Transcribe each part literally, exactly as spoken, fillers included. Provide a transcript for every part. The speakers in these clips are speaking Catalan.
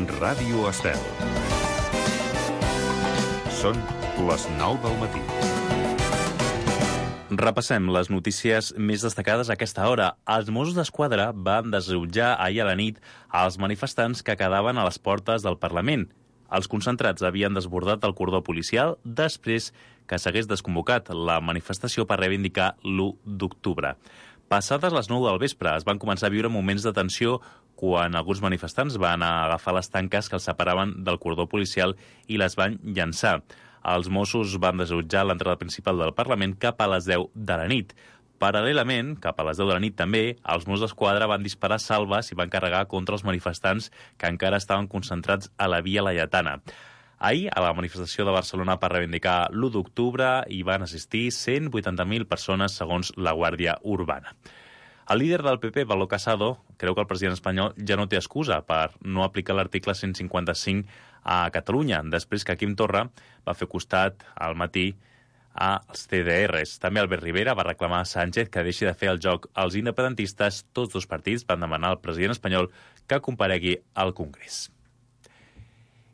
Ràdio Estel. Són les nou del matí. Repassem les notícies més destacades a aquesta hora. Els Mossos d'Esquadra van desallotjar ahir a la nit als manifestants que quedaven a les portes del Parlament. Els concentrats havien desbordat el cordó policial després que s'hagués desconvocat la manifestació per reivindicar l'u d'octubre. Passades les nou del vespre es van començar a viure moments de tensió quan alguns manifestants van agafar les tanques que els separaven del cordó policial i les van llançar. Els Mossos van desallotjar l'entrada principal del Parlament cap a les deu de la nit. Paral·lelament, cap a les deu de la nit també, els Mossos d'Esquadra van disparar salves i van carregar contra els manifestants que encara estaven concentrats a la Via Laietana. Ahir, a la manifestació de Barcelona per reivindicar l'u d'octubre, hi van assistir cent vuitanta mil persones, segons la Guàrdia Urbana. El líder del P P, Pablo Casado, creu que el president espanyol ja no té excusa per no aplicar l'article cent cinquanta-cinc a Catalunya, després que Quim Torra va fer costat al matí als C D Rs. També Albert Rivera va reclamar a Sánchez que deixi de fer el joc als independentistes. Tots dos partits van demanar al president espanyol que comparegui al Congrés.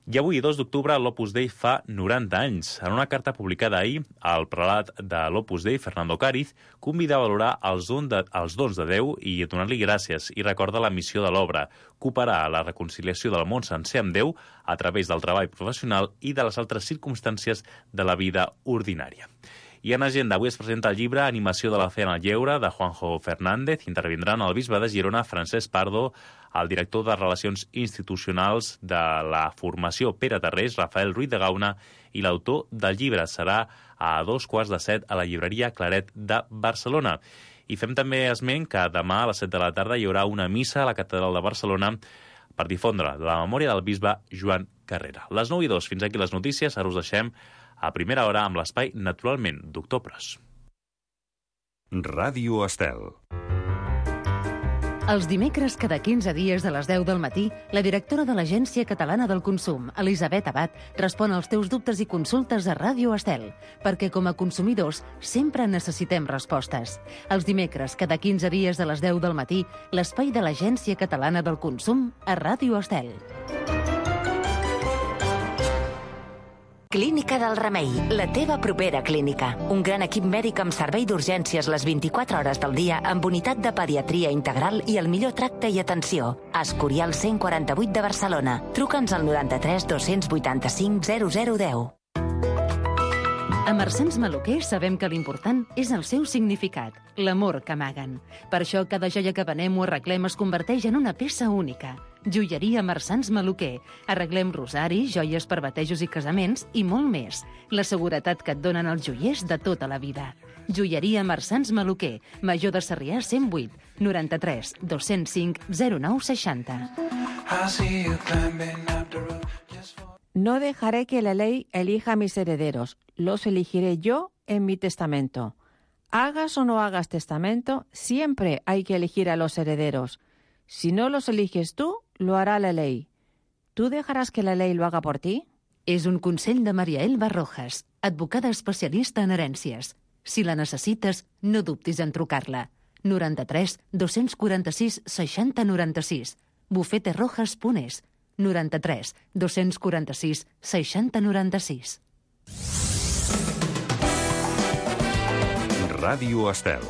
I avui, dos d'octubre, l'Opus Dei fa noranta anys. En una carta publicada ahir, el prelat de l'Opus Dei, Fernando Cáriz, convida a valorar els, don de, els dons de Déu i a donar-li gràcies i recorda la missió de l'obra, cooperar a la reconciliació del món sencer amb Déu a través del treball professional i de les altres circumstàncies de la vida ordinària. I en agenda, avui es presenta el llibre Animació de la fe en el lleure, de Juanjo Fernández. Intervindran el bisbe de Girona, Francesc Pardo, el director de Relacions Institucionals de la Formació Pere Tarrés, Rafael Ruiz de Gauna, i l'autor del llibre. Serà a dos quarts de set a la llibreria Claret de Barcelona. I fem també esment que demà a les set de la tarda hi haurà una missa a la Catedral de Barcelona per difondre la memòria del bisbe Joan Carrera. Les nou i dos, fins aquí les notícies. Ara us deixem a primera hora amb l'espai Naturalment, doctor Pros. Ràdio Estel. Els dimecres, cada quinze dies de les deu del matí, la directora de l'Agència Catalana del Consum, Elisabet Abad, respon als teus dubtes i consultes a Ràdio Estel, perquè com a consumidors sempre necessitem respostes. Els dimecres, cada quinze dies de les deu del matí, l'espai de l'Agència Catalana del Consum a Ràdio Estel. Clínica del Remei, la teva propera clínica. Un gran equip mèdic amb servei d'urgències les vint-i-quatre hores del dia, amb unitat de pediatria integral i el millor tracte i atenció. Escorial cent quaranta-vuit de Barcelona. Truca'ns al noranta-tres dos-cents vuitanta-cinc zero zero deu. A Marsans Maluquer sabem que l'important és el seu significat, l'amor que amaguen. Per això cada joia que venem o arreglem es converteix en una peça única. Joieria Marsans Maluquer. Arreglem rosaris, joies per batejos i casaments i molt més. La seguretat que et donen els joiers de tota la vida. Joieria Marsans Maluquer. Major de Sarrià cent vuit, noranta-tres dos-cents cinc zero nou seixanta. No dejaré que la ley elija a mis herederos. Los elegiré yo en mi testamento. Hagas o no hagas testamento, siempre hay que elegir a los herederos. Si no los eliges tú, lo hará la ley. ¿Tú dejarás que la ley lo haga por ti? És un consell de Maria Elba Rojas, advocada especialista en herències. Si la necessites, no dubtis en trucar-la. noranta-tres dos-cents quaranta-sis seixanta noranta-sis. bufeterojas punt es. noranta-tres dos-cents quaranta-sis seixanta noranta-sis. Ràdio Estel.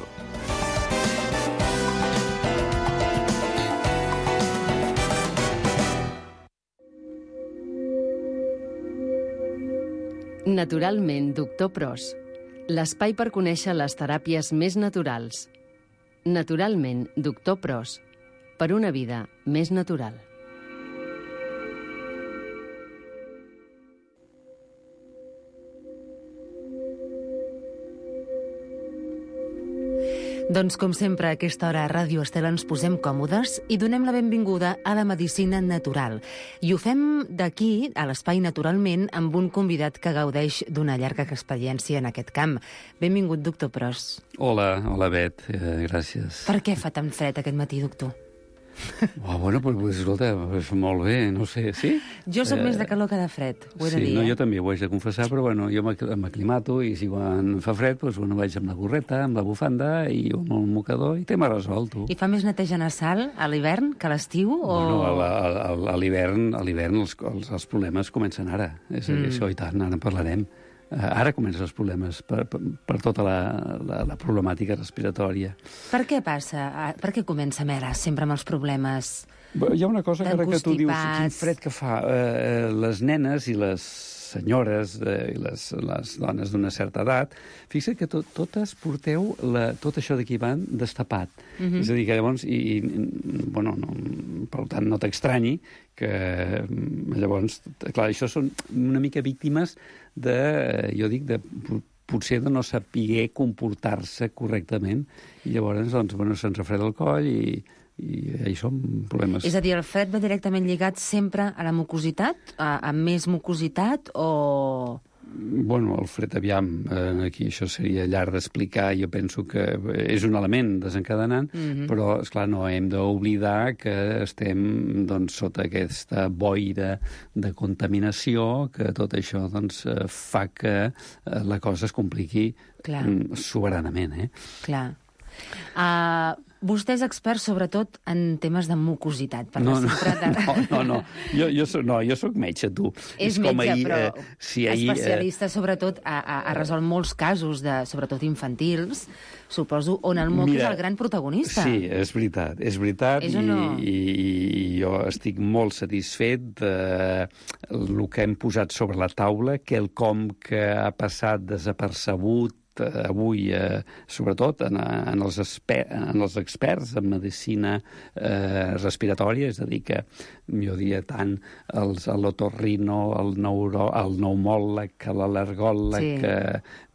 Naturalment, doctor Pros. L'espai per conèixer les teràpies més naturals. Naturalment, doctor Pros. Per una vida més natural. Doncs, com sempre, a aquesta hora a Ràdio Estel ens posem còmodes i donem la benvinguda a la medicina natural. I ho fem d'aquí, a l'Espai Naturalment, amb un convidat que gaudeix d'una llarga experiència en aquest camp. Benvingut, doctor Pros. Hola, hola, Bet. Eh, gràcies. Per què fa tan fred aquest matí, doctor? Oh, bueno, pues, escolta, pues, molt bé, no sé, sí? Jo sóc eh, més de calor que de fred, ho he sí, de dir. no, eh? jo també ho haig de confessar, però bueno, jo m'aclimato i si quan fa fred, doncs, bueno, vaig amb la gorreta, amb la bufanda i amb el mocador i tema resolt, tu. I fa més neteja nasal a l'hivern que a l'estiu? O... Bueno, a, a, a l'hivern a l'hivern els, els, els problemes comencen ara. És mm. això, i tant, ara en parlarem. Ara comencen els problemes per, per, per tota la, la, la problemàtica respiratòria. Per què passa? Per què comencem ara sempre amb els problemes? Hi ha una cosa que ara que tu dius, quin fred que fa. Eh, les nenes i les senyores eh, i les, les dones d'una certa edat, fixa't que tot, totes porteu la, tot això d'aquí van destapat. Mm-hmm. És a dir, que llavors, i, i, bueno, no, per tant, no t'extranyi que llavors, clar, això són una mica víctimes de, jo dic, de potser de no saber comportar-se correctament, i llavors, doncs, bueno, se'ns refreda el coll i, i hi són problemes. És a dir, el fred va directament lligat sempre a la mucositat? A, a més mucositat o...? Bueno, el fred, aviam, eh, aquí això seria llarg d'explicar, jo penso que és un element desencadenant, mm-hmm. però, esclar, no hem d'oblidar que estem, doncs, sota aquesta boira de contaminació, que tot això, doncs, fa que la cosa es compliqui Clar. soberanament, eh? Clar. Uh, vostè és expert sobretot en temes de mucositat. Per no, no, de... no, no, no. Jo, jo, soc, no, jo soc metge, tu. És, és metge, ahir, però eh, si ahir, especialista, sobretot, ha, ha resolt molts casos, de, sobretot infantils, suposo, on el moc Mira, és el gran protagonista. Sí, és veritat, és veritat, és i, no? i, i jo estic molt satisfet del que hem posat sobre la taula, quelcom que ha passat desapercebut avui, eh, sobretot en, en, els exper en els experts en medicina eh, respiratòria, és a dir, que jo diria tant l'otorrino, el, neuro, el pneumòleg, l'al·lergòleg, sí. que,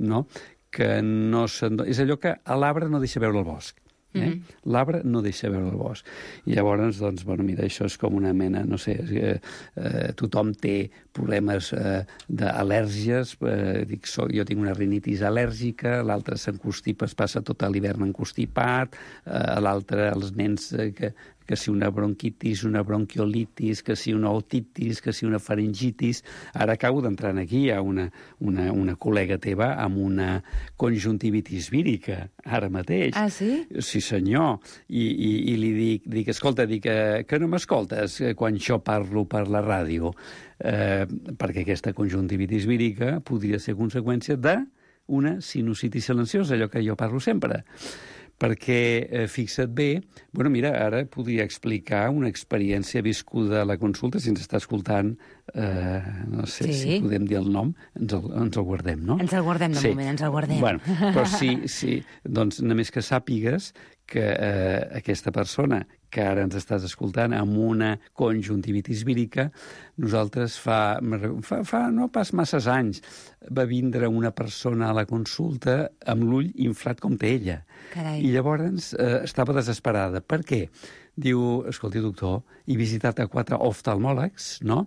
no? que no és allò que a l'arbre no deixa veure el bosc. Eh? Mm-hmm. L'arbre no deixa veure el bosc. I llavors, doncs, bueno, mira, això és com una mena, no sé, eh, eh, tothom té problemes eh, d'al·lèrgies, eh, dic, so, jo tinc una rinitis al·lèrgica, l'altre s'encostipa, es passa tot l'hivern encostipat, eh, l'altre, els nens eh, que que si una bronquitis, una bronquiolitis, que si una otitis, que si una faringitis. Ara acabo d'entrar aquí, hi ha una, una, una col·lega teva amb una conjuntivitis vírica, ara mateix. Ah, sí? Sí, senyor. I, i, i li dic, dic escolta, dic, que, que no m'escoltes quan jo parlo per la ràdio? Eh, perquè aquesta conjuntivitis vírica podria ser conseqüència d'una sinusitis silenciosa, allò que jo parlo sempre. Perquè, eh, fixa't bé, bueno, mira, ara podria explicar una experiència viscuda a la consulta, si ens està escoltant, eh, no sé sí. si podem dir el nom, ens el, ens el guardem, no? Ens el guardem de sí. moment, ens el guardem. Bueno, però sí, sí, doncs només que sàpigues que eh, aquesta persona que ara ens estàs escoltant amb una conjuntivitis vírica, nosaltres fa, fa, fa no pas masses anys va vindre una persona a la consulta amb l'ull inflat com té ella. Carai. I llavors eh, estava desesperada. Per què? Diu, escolti, doctor, he visitat a quatre oftalmòlegs, no?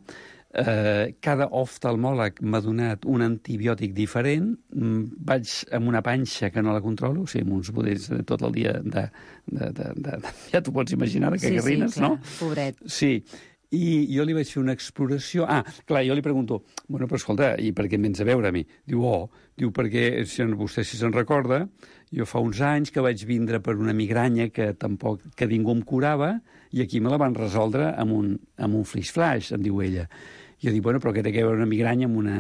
Eh, cada oftalmòleg m'ha donat un antibiòtic diferent, vaig amb una panxa que no la controlo, o sigui, amb uns budells tot el dia de... de, de, de, de ja t'ho pots imaginar, de cagarrines, sí, sí, clar, no? Pobret. Sí, i jo li vaig fer una exploració... Ah, clar, jo li pregunto, bueno, però escolta, i per què em vens a veure a mi? Diu, oh, diu, perquè, si vostè si se'n recorda, jo fa uns anys que vaig vindre per una migranya que tampoc, que ningú em curava, i aquí me la van resoldre amb un, amb un flash-flash, em diu ella. Jo dic, bueno, però que té que veure una migranya amb una,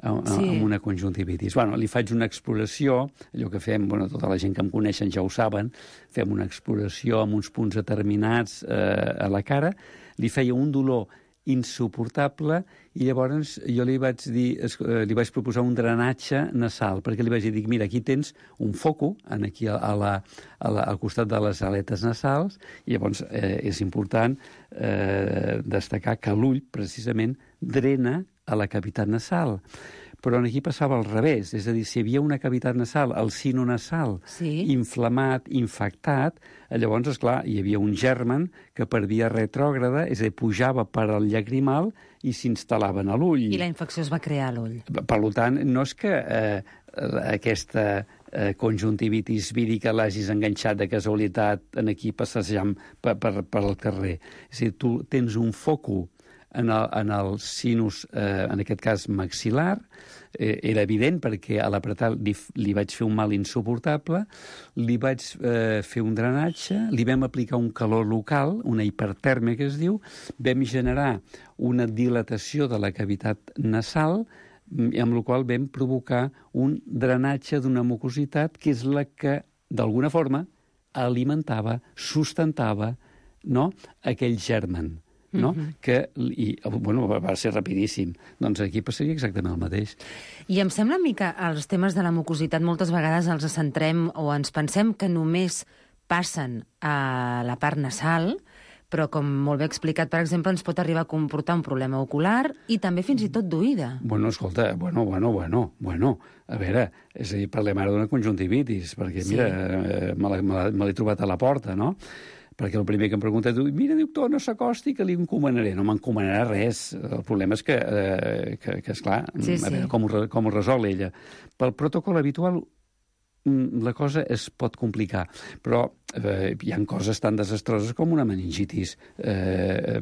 amb, sí. amb una conjuntivitis. Bueno, li faig una exploració, allò que fem, bueno, tota la gent que em coneixen ja ho saben, fem una exploració amb uns punts determinats eh, a la cara, li feia un dolor insuportable i llavors jo li vaig dir, li vaig proposar un drenatge nasal, perquè li vaig dir, mira, aquí tens un foco, aquí a la, a la, al costat de les aletes nasals, i llavors eh, és important eh, destacar que l'ull, precisament, drena a la cavitat nasal. Però aquí passava al revés, és a dir, si hi havia una cavitat nasal, el sino nasal, sí. inflamat, infectat, llavors, esclar, hi havia un germen que per via retrògrada, és a dir, pujava per al llagrimal i s'instal·lava a l'ull. I la infecció es va crear a l'ull. Per tant, no és que eh, aquesta eh, conjuntivitis vírica l'hagis enganxat de casualitat en aquí passejant per, per, per el carrer. És a dir, tu tens un foco en el, en el sinus, eh, en aquest cas maxil·lar, eh, era evident perquè a l'apretar li, li vaig fer un mal insuportable, li vaig eh, fer un drenatge, li vam aplicar un calor local, una hipertèrmia que es diu, vam generar una dilatació de la cavitat nasal, amb la qual vam provocar un drenatge d'una mucositat que és la que, d'alguna forma, alimentava, sustentava, no?, aquell germen. No? Mm-hmm. que, i, bueno, va ser rapidíssim. Doncs aquí passaria exactament el mateix. I em sembla a mi que els temes de la mucositat moltes vegades els centrem o ens pensem que només passen a la part nasal, però com molt bé explicat, per exemple, ens pot arribar a comportar un problema ocular i també fins i tot d'oïda. Bueno, escolta, bueno, bueno, bueno, bueno, a veure, és a dir, parlem ara d'una conjuntivitis, perquè, sí. mira, eh, me l'he trobat a la porta, no?, perquè el primer que em pregunta, diu, mira, doctor, no s'acosti, que li encomanaré. No m'encomanarà res. El problema és que, eh, que, que esclar, sí, a veure sí. com, ho, com ho resol ella. Pel protocol habitual, la cosa es pot complicar, però eh, hi ha coses tan desastroses com una meningitis. Eh,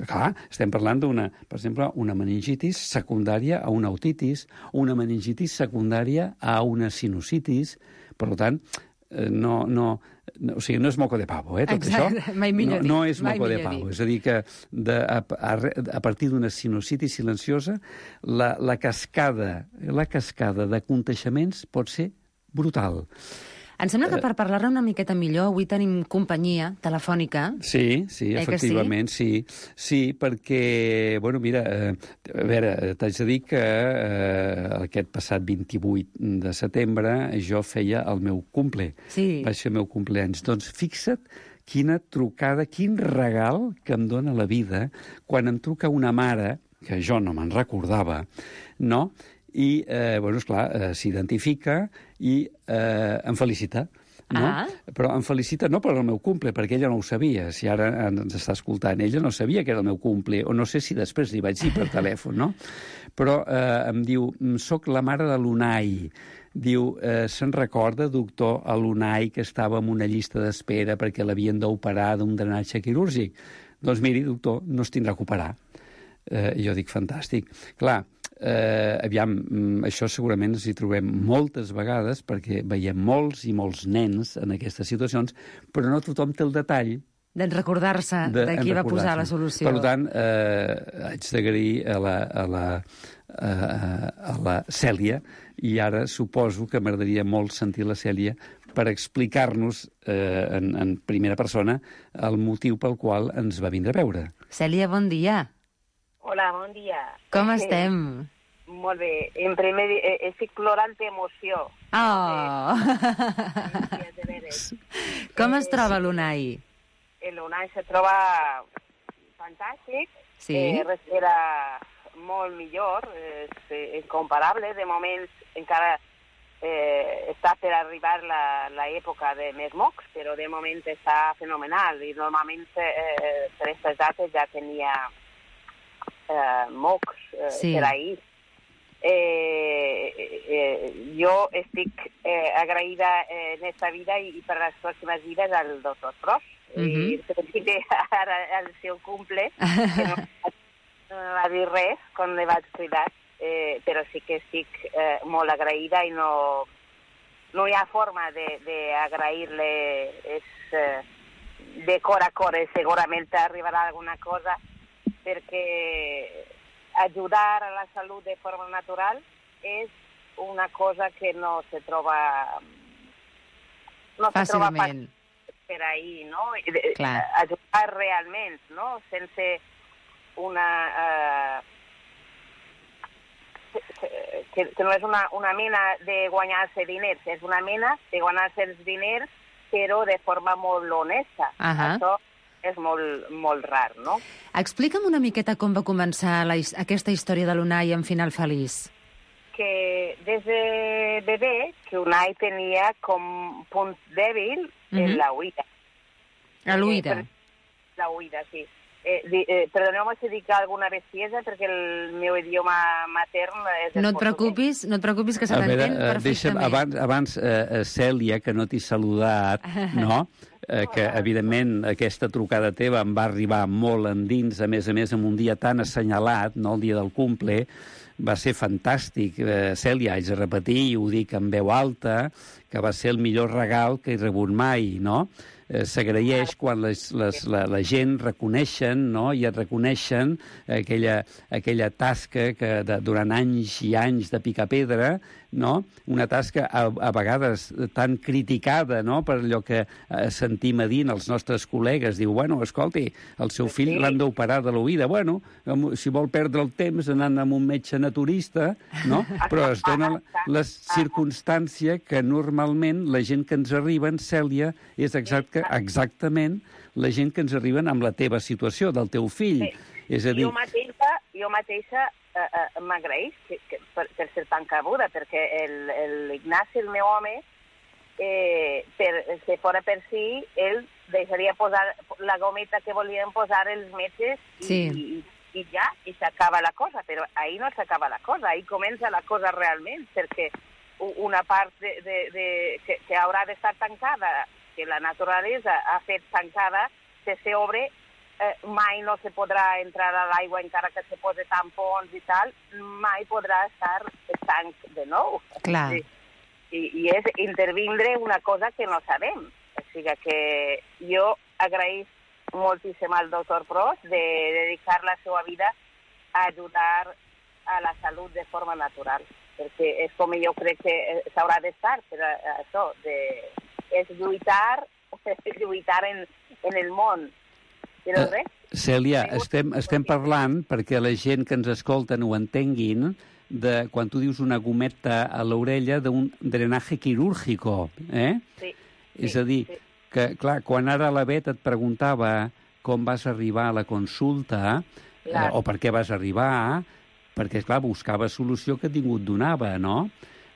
clar, estem parlant d'una, per exemple, una meningitis secundària a una otitis, una meningitis secundària a una sinusitis. Per tant, no, no, no, o sigui, no és moco de pavo, eh, tot Exacte, això. Mai millor no, no dit, és moco de pavo. Dit. És a dir, que de, a, a, a partir d'una sinusitis silenciosa, la, la cascada, la cascada de contagiaments pot ser brutal. Em sembla que per parlar-ne una miqueta millor avui tenim companyia telefònica. Sí, sí, eh efectivament, sí? sí. Sí, perquè, bueno, mira, eh, a veure, t'haig de dir que eh, aquest passat vint-i-vuit de setembre jo feia el meu cumple. Sí. Vaig fer el meu cumpleaños. Doncs fixa't quina trucada, quin regal que em dóna la vida quan em truca una mare, que jo no me'n recordava, no?, i, eh, bueno, esclar, eh, s'identifica i eh, em felicita. No? Ah. Però em felicita no per el meu cumple, perquè ella no ho sabia. Si ara ens està escoltant, ella no sabia que era el meu cumple, o no sé si després li vaig dir per telèfon, no? Però eh, em diu, soc la mare de l'Unai. Diu, eh, se'n recorda, doctor, a l'Unai que estava en una llista d'espera perquè l'havien d'operar d'un drenatge quirúrgic? Doncs miri, doctor, no es tindrà que operar. Eh, jo dic, fantàstic. Clar, Eh, aviam, això segurament ens hi trobem moltes vegades perquè veiem molts i molts nens en aquestes situacions, però no tothom té el detall de recordar-se de, de qui va posar la solució. Per tant, eh, haig d'agrair a la, a, la, a, a la Cèlia, i ara suposo que m'agradaria molt sentir la Cèlia per explicar-nos eh, en, en primera persona el motiu pel qual ens va vindre a veure. Cèlia, bon dia. Hola, bon dia. Com estem? Eh, molt bé. En primer, eh, estic plorant d'emoció. Oh! Eh, Com es troba l'Unai? L'Unai se troba fantàstic. Sí? Eh, era molt millor, és, és comparable. De moment encara eh, està per arribar l'època de més mocs, però de moment està fenomenal. I normalment eh, per aquestes dates ja tenia eh, mocs eh, sí. per ahir. Eh, eh, jo estic eh, agraïda eh, en esta vida i, i per les pròximes vides al doctor Pros. Uh -huh. I principi ara al seu cumple, que no, no va dir res quan li vaig cridar, eh, però sí que estic eh, molt agraïda i no, no hi ha forma d'agrair-li eh, de cor a cor. Segurament arribarà alguna cosa, perquè ajudar a la salut de forma natural és una cosa que no se troba no se troba per ahí, no? Clar. Ajudar realment, no? Sense una... Uh, que, que no és una, una mena de guanyar-se diners, és una mena de guanyar-se els diners, però de forma molt honesta. Uh -huh. Això és molt, molt rar, no? Explica'm una miqueta com va començar la, aquesta història de l'Unai amb final feliç. Que des de bebè, que Unai tenia com punt dèbil en uh -huh. la oïda. A l'oïda? Eh, la oïda, sí. Eh, eh, Perdoneu-me si dic alguna bestiesa, perquè el meu idioma matern és el no et preocupis, no et preocupis, que se t'entén perfectament. Deixa'm, abans, abans eh, Cèlia, que no t'he saludat, no? Eh, que, evidentment, aquesta trucada teva em va arribar molt endins, a més a més, en un dia tan assenyalat, no?, el dia del cumple, va ser fantàstic. Eh, Cèlia, haig de repetir, i ho dic en veu alta, que va ser el millor regal que he rebut mai, no? Eh, s'agraeix quan les, les, la, la gent reconeixen, no?, i et reconeixen aquella, aquella tasca que de, durant anys i anys de picar pedra, no?, una tasca a, a vegades tan criticada, no?, per allò que eh, sentim a dir els nostres col·legues. Diu, bueno, escolti, el seu fill l'han d'operar de l'oïda. Bueno, si vol perdre el temps anant amb un metge naturista, no?, però es dona la, la circumstància que normalment la gent que ens arriben, Cèlia, és exacte, exactament la gent que ens arriben amb la teva situació, del teu fill. Sí. És a dir... Jo mateixa, jo mateixa eh, eh, m'agraeix que, que, per, per ser tan cabuda, perquè l'Ignasi, el, el meu home, eh, per, si fora per si, ell deixaria posar la gometa que volien posar els metges i, sí. i, i ja, i s'acaba la cosa. Però ahí no s'acaba la cosa, ahí comença la cosa realment, perquè una part de, de, de, que, que haurà d'estar tancada, que la naturalesa ha fet tancada, que s'obre, eh, mai no se podrà entrar a l'aigua encara que se posi tampons i tal, mai podrà estar estanc de nou. Clar. Sí. I, I és intervindre una cosa que no sabem. O sigui que jo agraïs moltíssim al doctor Pros de dedicar la seva vida a ajudar a la salut de forma natural, perquè és com jo crec que s'haurà d'estar, però això, de, és lluitar, lluitar en, en el món. Però res. Uh, Cèlia, estem, estem parlant, perquè la gent que ens escolten ho entenguin, de quan tu dius una gometa a l'orella d'un drenaje quirúrgico, eh? Sí. És a dir, sí. que, clar, quan ara la Bet et preguntava com vas arribar a la consulta, eh, o per què vas arribar, perquè, clar, buscava solució que ningú et donava, no?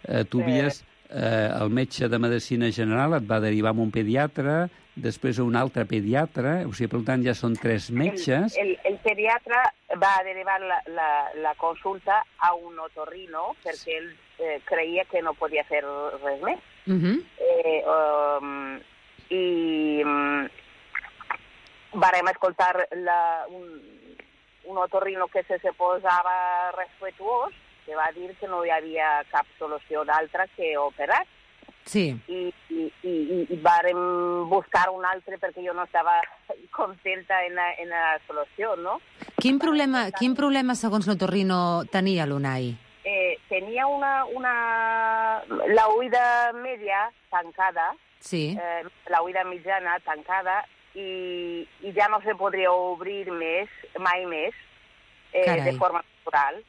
Eh, tu havies... Eh, el metge de Medicina General et va derivar a un pediatre, després a un altre pediatre, o sigui, per tant, ja són tres metges. El, el, el pediatre va derivar la, la, la consulta a un otorrino, perquè ell eh, creia que no podia fer res més. Uh-huh. eh, um, I um, vàrem escoltar la, un, un otorrino que se, se posava respetuós, que va dir que no hi havia cap solució d'altra que operar. Sí. I, i, i, i vàrem buscar un altre perquè jo no estava contenta en la, en la solució, no? Quin problema, quin problema segons l'otorrino, tenia l'Unai? Eh, tenia una, una... la oïda media tancada, sí. eh, la oïda mitjana tancada, i, i ja no se podria obrir més, mai més, eh, de forma natural.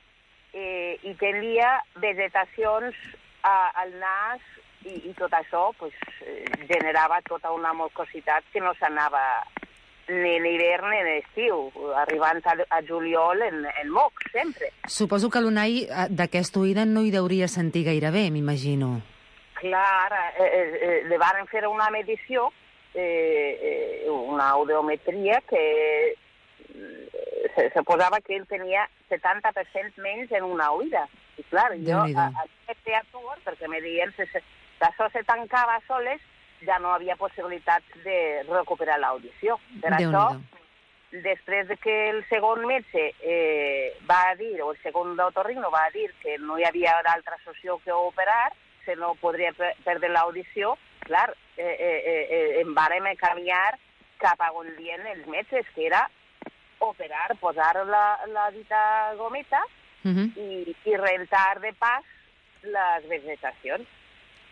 Eh, i tenia vegetacions a, al nas i, i tot això pues, eh, generava tota una mucositat que no s'anava ni en hivern ni en estiu, arribant a, a juliol en, en mocs, sempre. Suposo que l'Unai d'aquesta oïda no hi deuria sentir gaire bé, m'imagino. Clar, eh, eh, li van fer una medició, eh, eh, una audiometria que Se, se posava que ell tenia setanta per cent menys en una oïda. I clar, jo a, a aquest atur, perquè me deien que això se tancava soles, ja no havia possibilitat de recuperar l'audició. Per això, després de que el segon metge eh, va dir, o el segon otorrino va dir que no hi havia d'altra solució que operar, que no podria perdre l'audició, clar, eh, eh, eh, em vàrem canviar cap a on dient els metges, que era operar, posar la, la dita gometa uh-huh. i, i rentar de pas les vegetacions.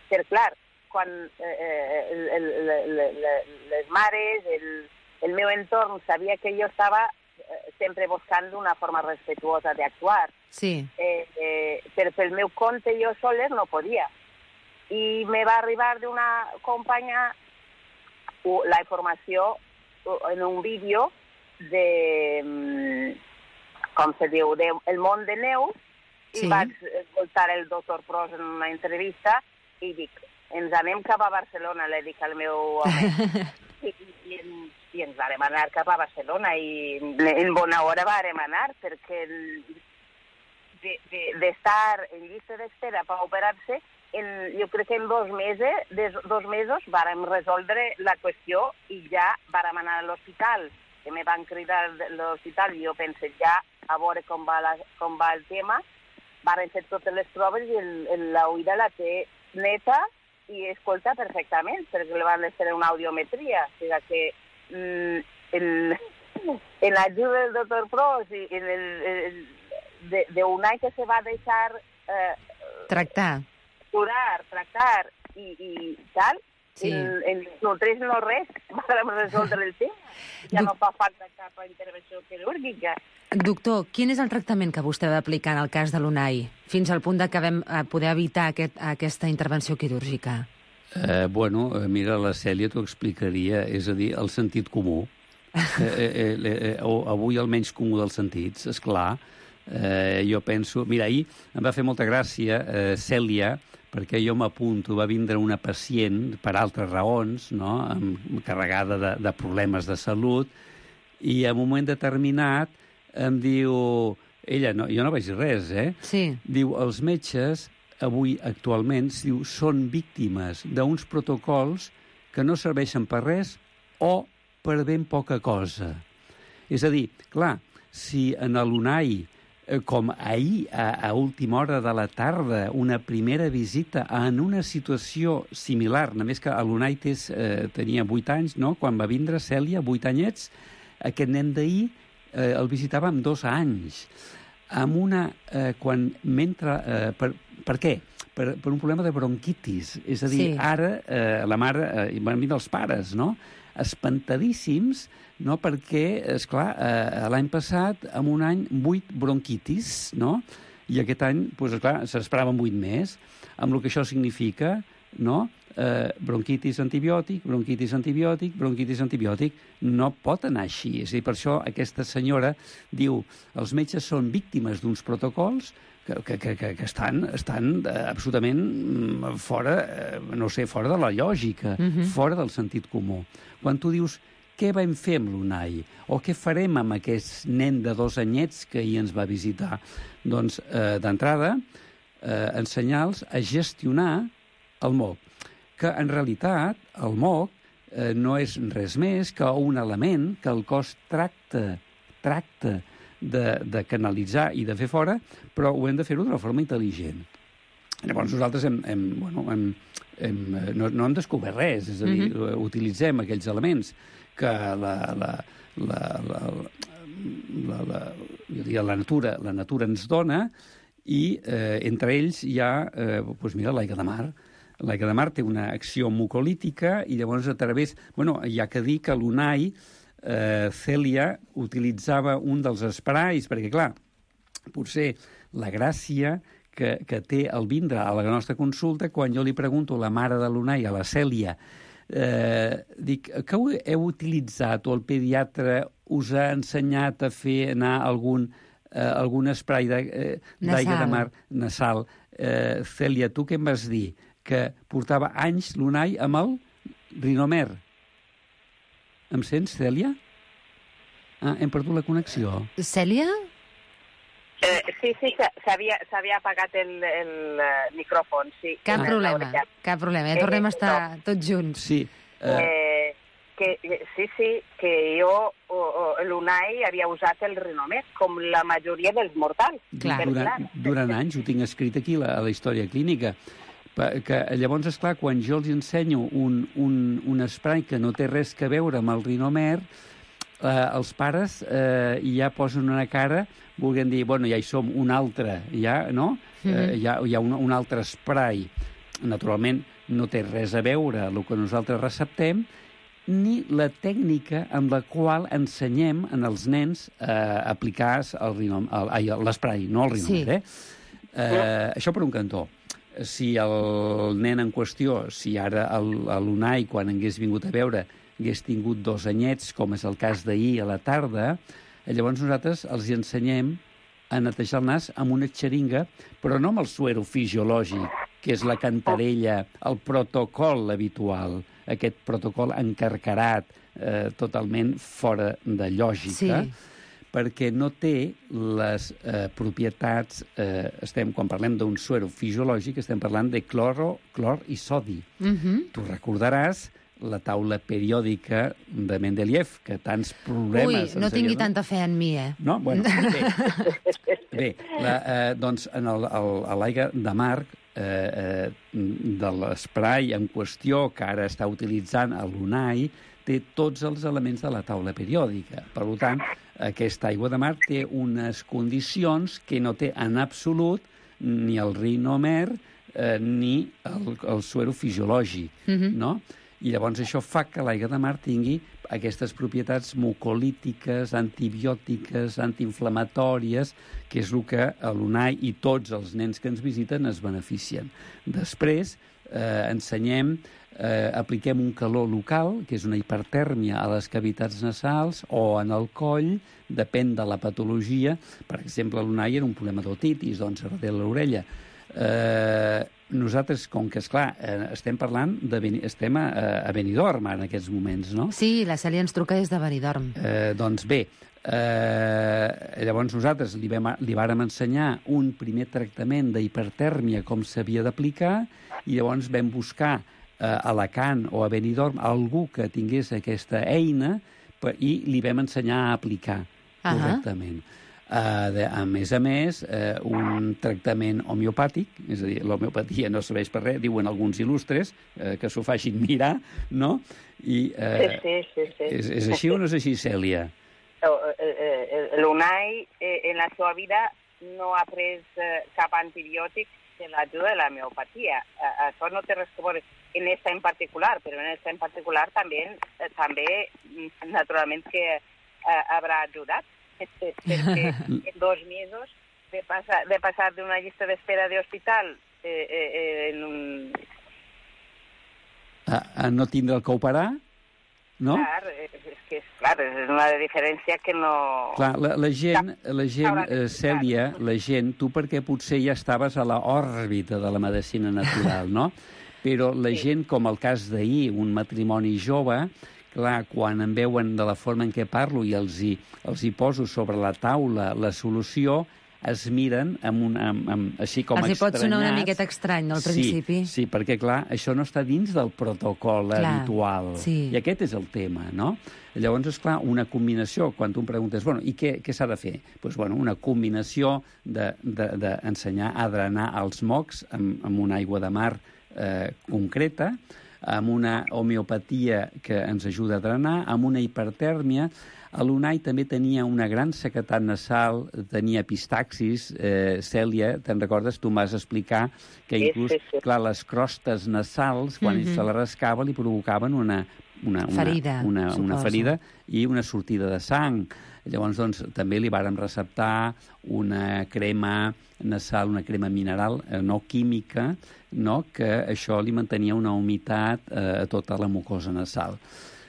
Per clar, quan eh, el, el, el, el, les mares, el, el meu entorn sabia que jo estava eh, sempre buscant una forma respetuosa d'actuar. Sí. Eh, eh, però pel meu compte jo soles no podia. I me va arribar d'una companya la informació en un vídeo de, com se diu, de El món de neu, sí. I vaig escoltar el doctor Pros en una entrevista i dic, ens anem cap a Barcelona, le dic al meu home. I, i, i ens vàrem anar cap a Barcelona i en bona hora vàrem anar perquè d'estar en llista d'espera per operar-se, jo crec que en dos mesos, dos mesos vàrem resoldre la qüestió i ja vàrem anar a l'hospital, que me van cridar a l'hospital i jo pensé ja a veure com va, la, com va el tema. Varen fer totes les proves i l'oïda la té neta i escolta perfectament, perquè li van fer una audiometria. O sigui que mm, en, en l'ajuda del doctor Pros i en el, el, de, de un any que se va deixar eh, tractar, curar, tractar i, i tal, sí. en, en no tres no res, vam resoldre el tema. Ja Doc... no fa falta cap intervenció quirúrgica. Doctor, quin és el tractament que vostè va aplicar en el cas de l'Unai, fins al punt de que vam poder evitar aquest, aquesta intervenció quirúrgica? Eh, bueno, mira, la Cèlia t'ho explicaria, és a dir, el sentit comú. eh, eh, eh, avui el menys comú dels sentits, esclar. Eh, jo penso... Mira, ahir em va fer molta gràcia, eh, Cèlia, perquè jo m'apunto, va vindre una pacient per altres raons, no?, carregada de, de problemes de salut, i en un moment determinat em diu... Ella, no, jo no vaig dir res, eh? Sí. Diu, els metges, avui, actualment, diu, són víctimes d'uns protocols que no serveixen per res o per ben poca cosa. És a dir, clar, si en l'Unai, com ahir, a, a última hora de la tarda, una primera visita en una situació similar, només que l'Unai eh, tenia vuit anys, no?, quan va vindre Cèlia, vuit anyets, aquest nen d'ahir eh, el visitava amb dos anys, amb una... Eh, quan mentre... Eh, per, per què? Per, per un problema de bronquitis. És a dir, sí. ara eh, la mare, eh, van venir els pares, no?, espantadíssims, no?, perquè, esclar, eh, l'any passat, en un any, vuit bronquitis, no?, i aquest any, doncs, esclar, s'esperaven vuit més, amb el que això significa, no?, eh, bronquitis antibiòtic, bronquitis antibiòtic, bronquitis antibiòtic, no pot anar així. És a dir, per això aquesta senyora diu, els metges són víctimes d'uns protocols que, que, que, que estan, estan eh, absolutament fora, eh, no sé, fora de la lògica, uh-huh. fora del sentit comú. Quan tu dius, què vam fer amb l'Unai? O què farem amb aquest nen de dos anyets que ahir ens va visitar? Doncs, eh, d'entrada, eh, ensenyar-los a gestionar el M O C, que en realitat el M O C eh, no és res més que un element que el cos tracta, tracta de, de canalitzar i de fer fora, però ho hem de fer-ho d'una forma intel·ligent. Llavors nosaltres hem, hem, bueno, hem, hem, no, no hem descobert res, és a dir, mm-hmm. utilitzem aquells elements que la, la, la, la, la, la, jo diria, la, natura, la natura ens dona i eh, entre ells hi ha, eh, doncs mira, l'aigua de mar. L'aigua de mar té una acció mucolítica i llavors a través... Bueno, hi ha que dir que l'Unai, eh, Cèlia, utilitzava un dels esprais, perquè, clar, potser la gràcia que, que té el vindre a la nostra consulta, quan jo li pregunto a la mare de l'Unai, a la Cèlia, eh, dic, que heu utilitzat o el pediatre us ha ensenyat a fer anar algun, eh, algun esprai d'aigua de, eh, de mar nasal? Eh, Cèlia, tu què em vas dir? Que portava anys l'Unai amb el Rinomer. Em sents, Cèlia? Ah, hem perdut la connexió. Cèlia? Eh, sí, sí, s'havia apagat el, el micròfon, sí. Cap ah. problema, cap problema. Ja tornem a estar eh, tots junts. Sí. Uh... Eh, que, sí, sí, que jo, l'Unai, havia usat el Rinomer, com la majoria dels mortals. Clar. Durant, durant anys, ho tinc escrit aquí, la, a la història clínica, que llavors, esclar, quan jo els ensenyo un, un, un spray que no té res que veure amb el Rinomer, eh, els pares eh, ja posen una cara, volguem dir, bueno, ja hi som, un altre, ja, no? Mm-hmm. eh, hi ha, hi ha un, un altre spray. Naturalment, no té res a veure el que nosaltres receptem, ni la tècnica amb la qual ensenyem en els nens a eh, aplicar l'esprai, no el Rinomer, sí. eh? eh? Això per un cantó. Si el nen en qüestió, si ara l'Unai, quan hagués vingut a veure, hagués tingut dos anyets, com és el cas d'ahir a la tarda, llavors nosaltres els ensenyem a netejar el nas amb una xeringa, però no amb el suero fisiològic, que és la cantarella, el protocol habitual, aquest protocol encarcarat eh, totalment fora de lògica, sí. perquè no té les eh, propietats, eh, estem, quan parlem d'un suero fisiològic, estem parlant de cloro, clor i sodi. Uh-huh. Tu recordaràs la taula periòdica de Mendeleev, que tants problemes... Ui, no tingui tanta fe en mi, eh? No? Bueno, bé. Bé, la, eh, doncs, en el, el, a l'aigua de mar, eh, eh, de l'esprai en qüestió que ara està utilitzant a l'UNAI, té tots els elements de la taula periòdica. Per tant, aquesta aigua de mar té unes condicions que no té en absolut ni el rinomer eh, ni el, el suero fisiològic, uh-huh. no? I llavors això fa que l'aigua de mar tingui aquestes propietats mucolítiques, antibiòtiques, antiinflamatòries, que és el que l'UNAI i tots els nens que ens visiten es beneficien. Després eh, ensenyem, eh, apliquem un calor local, que és una hipertèrmia a les cavitats nasals o en el coll, depèn de la patologia. Per exemple, a l'UNAI era un problema d'otitis, doncs darrere l'orella. Eh, nosaltres, com que, esclar, eh, estem parlant de... estem a, a Benidorm en aquests moments, no? Sí, la Cèlia ens truca des de Benidorm. Eh, doncs bé, eh, llavors nosaltres li, vam, li vàrem ensenyar un primer tractament d'hipertèrmia com s'havia d'aplicar i llavors vam buscar eh, a Alacant o a Benidorm algú que tingués aquesta eina i li vam ensenyar a aplicar correctament. Uh-huh. Uh, de, a més a més, uh, un tractament homeopàtic, és a dir, l'homeopatia no serveix per res, diuen alguns il·lustres, uh, que s'ho facin mirar, no? I, uh, sí, sí, sí, sí. És, és així o no és així, Cèlia? L'UNAI, en la seva vida, no ha pres cap antibiòtic de l'ajuda de l'homeopatia. Això no té res que veure en esta en particular, però en esta en particular també, també naturalment, que uh, haurà ajudat. Perquè en dos mesos de passar, de passar d'una llista d'espera d'hospital eh, eh, en un... A, a no tindre el que operar, no? Clar, és que és, clar, és una diferència que no... Clar, la, la gent, la gent eh, Cèlia, la gent, tu perquè potser ja estaves a l'òrbita de la medicina natural, no? Però la sí. gent, com el cas d'ahir, un matrimoni jove... Clar, quan em veuen de la forma en què parlo i els hi, els hi poso sobre la taula la solució, es miren amb un, amb, amb, així com els estranyats. Els hi pot sonar una miqueta estrany, al principi. Sí, sí, perquè, clar, això no està dins del protocol clar, habitual. Sí. I aquest és el tema, no? Llavors, esclar, una combinació, quan tu em preguntes, bueno, i què, què s'ha de fer? Doncs, pues, bueno, una combinació d'ensenyar de, de, a drenar els mocs amb, amb una aigua de mar eh, concreta, amb una homeopatia que ens ajuda a drenar, amb una hipertèrmia. A l'UNAI també tenia una gran sequedat nasal, tenia epistaxis. Eh, Cèlia, te'n recordes? Tu m'has explicar que inclús, clar, les crostes nasals, quan mm-hmm. se la rascava, li provocaven una, una, una ferida, una, una ferida i una sortida de sang. Llavors, doncs, també li vàrem receptar una crema nasal, una crema mineral, eh, no química, no? Que això li mantenia una humitat eh, a tota la mucosa nasal.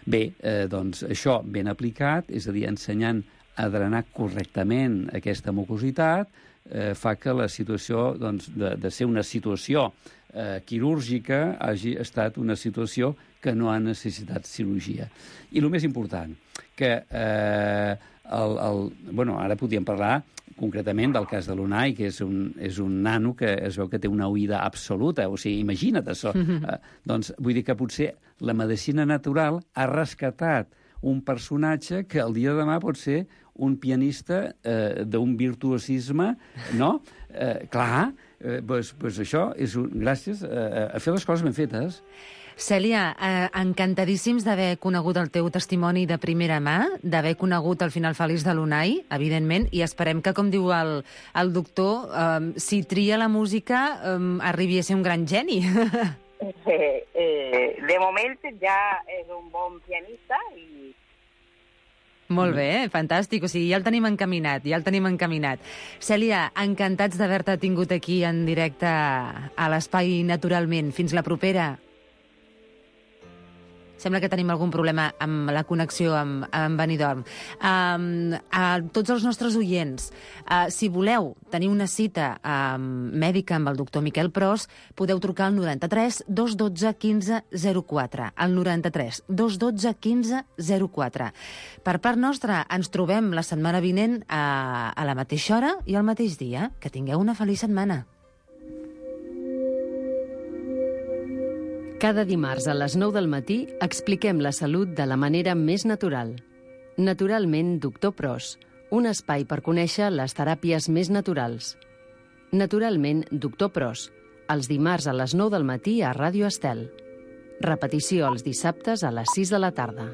Bé, eh, doncs, això ben aplicat, és a dir, ensenyant a drenar correctament aquesta mucositat, eh, fa que la situació, doncs, de, de ser una situació eh, quirúrgica hagi estat una situació que no ha necessitat cirurgia. I el més important, que eh, el, el, bueno, ara podríem parlar concretament del cas de l'UNAI, que és un, és un nano que es veu que té una oïda absoluta, o sigui, imagina't això. Mm-hmm. Eh, doncs vull dir que potser la medicina natural ha rescatat un personatge que el dia de demà pot ser un pianista eh, d'un virtuosisme, no? Eh, clar, eh, pues, pues això és un, gràcies eh, a fer les coses ben fetes. Cèlia, eh, encantadíssims d'haver conegut el teu testimoni de primera mà, d'haver conegut el final feliç de l'UNAI, evidentment, i esperem que, com diu el, el doctor, eh, si tria la música, eh, arribi a ser un gran geni. Eh, eh, de moment ja és un bon pianista i... Molt bé, eh? Fantàstic. O sigui, ja el tenim encaminat, ja el tenim encaminat. Cèlia, encantats d'haver-te tingut aquí en directe a l'Espai Naturalment. Fins la propera. Sembla que tenim algun problema amb la connexió amb, amb Benidorm. Um, a tots els nostres oients, uh, si voleu tenir una cita um, mèdica amb el doctor Miquel Pros, podeu trucar al noranta-tres dos dotze quinze zero quatre. Al noranta-tres dos dotze quinze zero quatre. Per part nostra, ens trobem la setmana vinent a, a la mateixa hora i al mateix dia. Que tingueu una feliç setmana. Cada dimarts a les nou del matí expliquem la salut de la manera més natural. Naturalment, doctor Pros, un espai per conèixer les teràpies més naturals. Naturalment, doctor Pros, els dimarts a les nou del matí a Ràdio Estel. Repetició els dissabtes a les sis de la tarda.